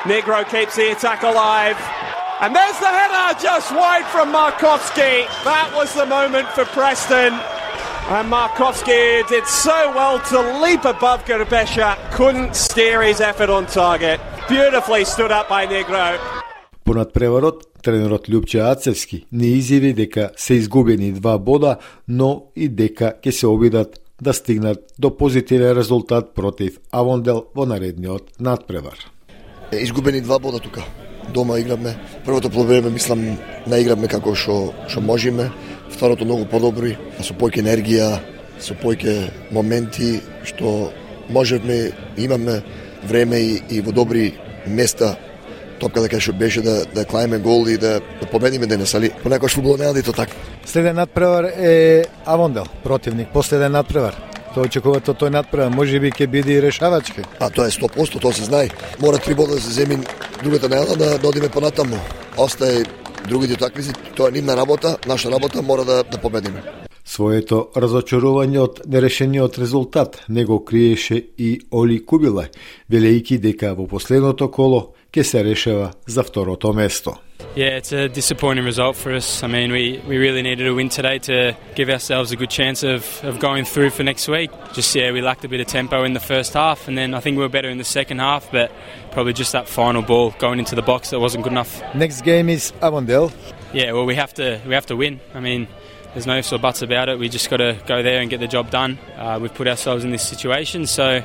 Negro keeps the attack alive, and there's the header just wide from Markovski. That was the moment for Preston, and Markovski did so well to leap above Gerbesha, couldn't steer his effort on target. Beautifully stood up by Negro. По надпреварот, тренерот Љупче Ацевски не изјави дека се изгубени два бода, но и дека ќе се обидат да стигнат до позитивен резултат против Авондел во наредниот надпревар. Изгубени два бода тука. Дома играме. Првото полувреме мислам наигравме како што што можеме. Второто многу подобри, со појќе енергија, со појќе моменти што можевме, имаме време и, и во добри места. Топка дека што беше да да клајме гол и да, да победиме денес, али понекогаш фудбалот не е тоа така. Следен надпревар е Авондел, противник. Последен надпревар. Тоа очекувате од тој надпревар, можеби ќе биде и решавачки. А тоа е сто проценти, тоа се знае. Мора три бода да се земи другата недела да, да одиме понатаму. Остае другите такмици, тоа е нивна работа, наша работа мора да да победиме. Своето разочарување од нерешениот резултат не го криеше и Оли Кубилај, велејќи дека во последното коло ќе се решава за второто место. Yeah, it's a disappointing result for us. I mean, we, we really needed a win today to give ourselves a good chance of, of going through for next week. Just, yeah, we lacked a bit of tempo in the first half, and then I think we were better in the second half, but probably just that final ball going into the box that wasn't good enough. Next game is Avondale. Yeah, well, we have to we have to win. I mean, there's no ifs or buts about it. We just got to go there and get the job done. Uh, we've put ourselves in this situation, so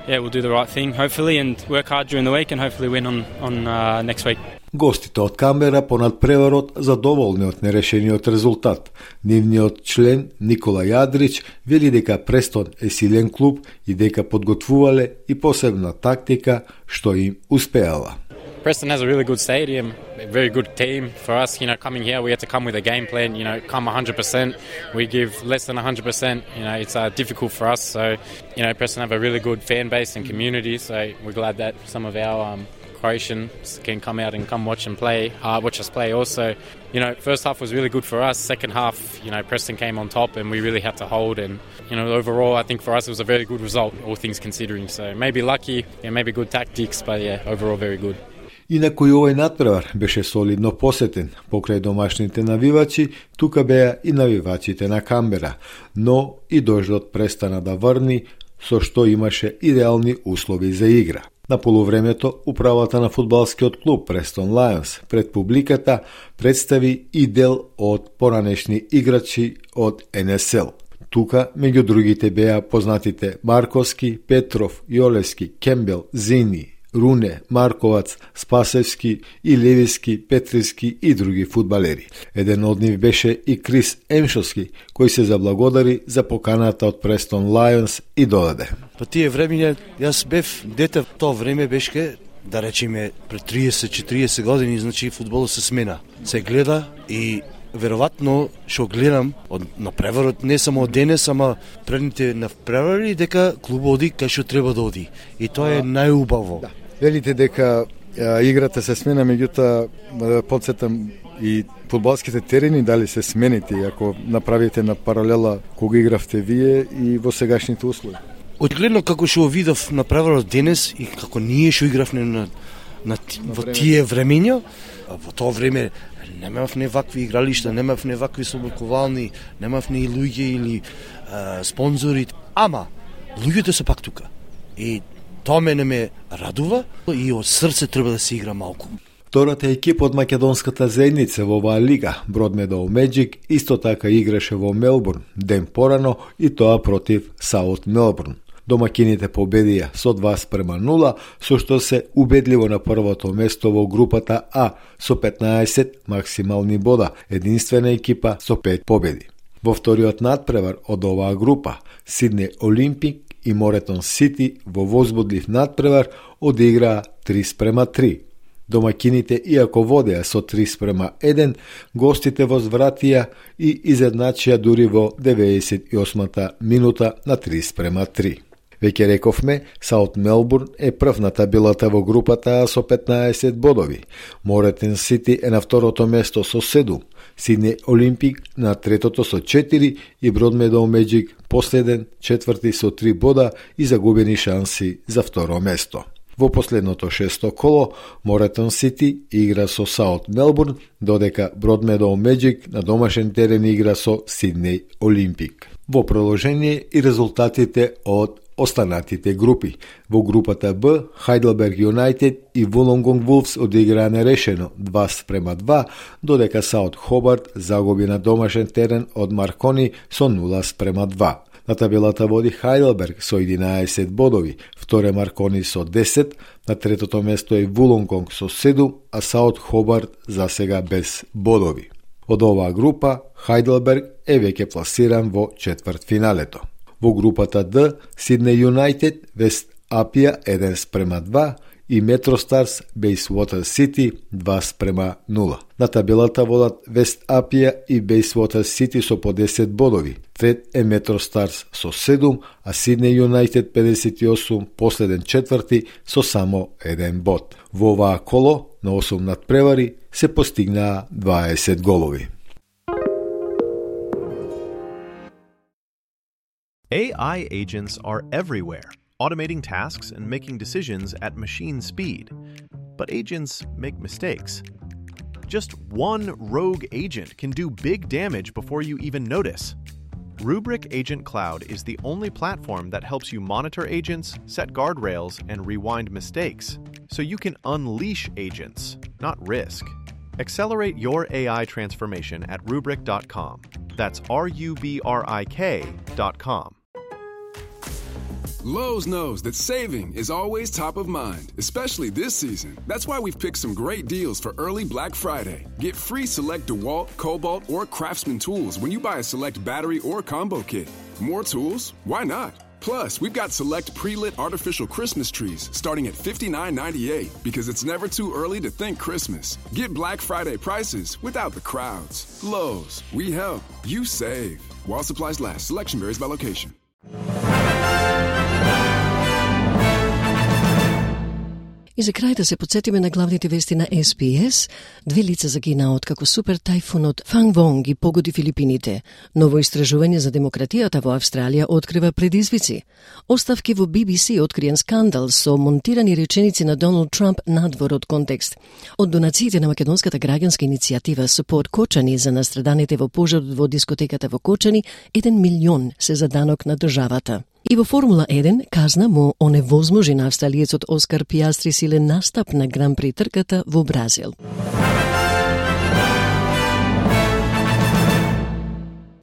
yeah, we'll do the right thing, hopefully, and work hard during the week and hopefully win on, on uh, next week. Гостите од Камбера по надпреварот задоволни од нерешениот резултат. Нивниот член Никола Јадрич вели дека Престон е силен клуб и дека подготвувале и посебна тактика што им успеала. Preston has a really good stadium, a very good team. For us, you know, coming here, we had to come with a game plan, you know, come one hundred percent. We give less than one hundred percent. You know, it's uh, difficult for us. So, you know, Preston have a really good fan base and community. So we're glad that some of our um, Croatians can come out and come watch and play, uh, watch us play also. You know, first half was really good for us. Second half, you know, Preston came on top and we really had to hold. And, you know, overall, I think for us it was a very good result, all things considering. So maybe lucky, yeah, maybe good tactics, but yeah, overall very good. Инаку и овој натпревар беше солидно посетен. Покрај домашните навивачи, тука беа и навивачите на Камбера, но и дождот престана да врни, со што имаше идеални услови за игра. На полувремето, управата на фудбалскиот клуб Престон Лајонс пред публиката представи и дел од поранешни играчи од Ен Ес Ел. Тука, меѓу другите, беа познатите Марковски, Петров, Јолевски, Кембел, Зини, Руне, Марковац, Спасевски и Левиски, Петриски и други фудбалери. Еден од нив беше и Крис Емшовски, кој се заблагодари за поканата од Престон Лајонс и додаде. По тие времења, јас бев дете, в тоа време беше, да речеме, пред триесет-четириесет години, значи фудболот се смена. Се гледа и веројатно што гледам од напреварот не само од денес, ама предните напревари дека клубот оди кај што треба да оди. И тоа е најубаво. Да. Велите дека а, играта се смена, меѓутоа да подсетам и фудбалските терени дали се сменити, ако направите на паралела кога игравте вие и во сегашните услови. Одгледно како што видов напреварот денес и како ние што игравме на, на, во тие времења, во тоа време немавме вакви игралишта, немавме вакви собоковални, немавме и луѓе или а, спонзори, ама луѓето се пак тука. И тоа мене ме радува и од срце треба да се игра малку. Втората екипа од македонската заедница во оваа лига, Broadmeadow Magic, исто така играше во Мелбурн ден порано и тоа против Саут Мелбурн. Домакините победија со два спрема нула, со што се убедливо на првото место во групата А со петнаесет максимални бода, единствена екипа со пет победи. Во вториот надпревар од оваа група, Сиднеј Олимпик и Моретон Сити во возбудлив надпревар одиграа три спрема три. Домакините, иако водеа со три спрема еден, гостите возвратија и изедначија дури во деветдесет и осмата минута на три спрема три. Веќе рековме, Саут Мелбурн е прв на табелата во групата А со петнаесет бодови. Моретон Сити е на второто место со седум, Сиднеј Олимпик на третото со четири и Broadmeadow Magic последен четврти со три бода и загубени шанси за второ место. Во последното шесто коло, Моретон Сити игра со Саут Мелбурн, додека Broadmeadow Magic на домашен терен игра со Сиднеј Олимпик. Во продолжение и резултатите од останатите групи. Во групата Б, Heidelberg United и Wollongong Wolves одиграа нерешено два спрема два, додека Саут Хобарт загуби на домашен терен од Маркони со нула спрема два. На табелата води Heidelberg со единаесет бодови, вторе Маркони со десет, на третото место е Wollongong со седум, а Саут Хобарт засега без бодови. Од оваа група, Heidelberg е веќе пласиран во четвртфиналето. Во групата Д, Сиднеј Юнајтед, Вест Апија еден спрема два и Метростарс Бейсвотер Сити два спрема нула. На табелата водат Вест Апија и Бейсвотер Сити со по десет бодови. Трет е Метростарс со седум, а Сиднеј Юнајтед педесет и осум, последен четврти со само еден бод. Во оваа коло на осум надпревари се постигнаа дваесет голови. A I agents are everywhere, automating tasks and making decisions at machine speed. But agents make mistakes. Just one rogue agent can do big damage before you even notice. Rubrik Agent Cloud is the only platform that helps you monitor agents, set guardrails, and rewind mistakes, so you can unleash agents, not risk. Accelerate your A I transformation at rubrik dot com. That's R U B R I K dot com. Lowe's knows that saving is always top of mind, especially this season. That's why we've picked some great deals for early Black Friday. Get free select DeWalt, Cobalt, or Craftsman tools when you buy a select battery or combo kit. More tools? Why not? Plus, we've got select pre-lit artificial Christmas trees starting at fifty-nine ninety-eight because it's never too early to think Christmas. Get Black Friday prices without the crowds. Lowe's, we help, you save. While supplies last, selection varies by location. И за крај да се подсетиме на главните вести на Ес Би Ес. Две лица загинаа откако супер тајфунот Фангвонг ги погоди Филипините. Ново истражување за демократијата во Австралија открива предизвици. Оставки во Би Би Си откриен скандал со монтирани реченици на Доналд Трамп надвор од контекст. Од донациите на македонската граѓанска иницијатива Support Кочани за настраданите во пожарот во дискотеката во Кочани, еден милион се за данок на државата. И во Формула еден казна му оневозможи на австралиецот Оскар Пиастри силен настап на Гран При трката во Бразил.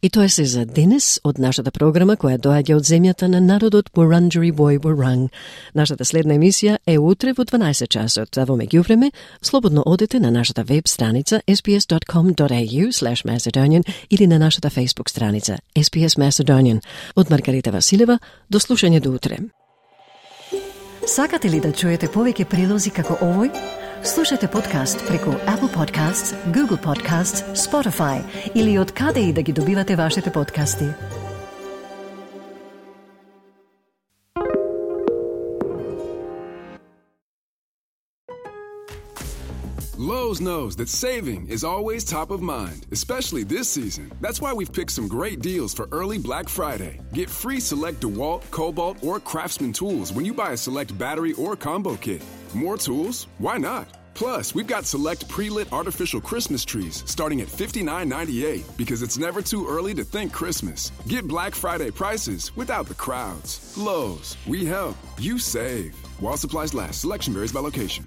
И тоа се за денес од нашата програма која доаѓа од земјата на народот Wurundjeri Woi Wurrung. Нашата следна емисија е утре во дванаесет часот, а во меѓувреме слободно одете на нашата веб страница ес би ес дот ком дот ей ю слеш macedonian или на нашата Facebook страница Ес Би Ес Macedonian. Од Маргарита Василева, до слушање до утре. Сакате ли да чуете повеќе прилози како овој? Слушате подкаст преку Apple Podcasts, Google Podcasts, Spotify или од каде и да ги добивате вашите подкасти. Lowe's knows that saving is always top of mind, especially this season. That's why we've picked some great deals for early Black Friday. Get free select DeWalt, Cobalt, or Craftsman tools when you buy a select battery or combo kit. More tools? Why not? Plus, we've got select pre-lit artificial Christmas trees starting at fifty-nine ninety-eight because it's never too early to think Christmas. Get Black Friday prices without the crowds. Lowe's, we help, you save. While supplies last, selection varies by location.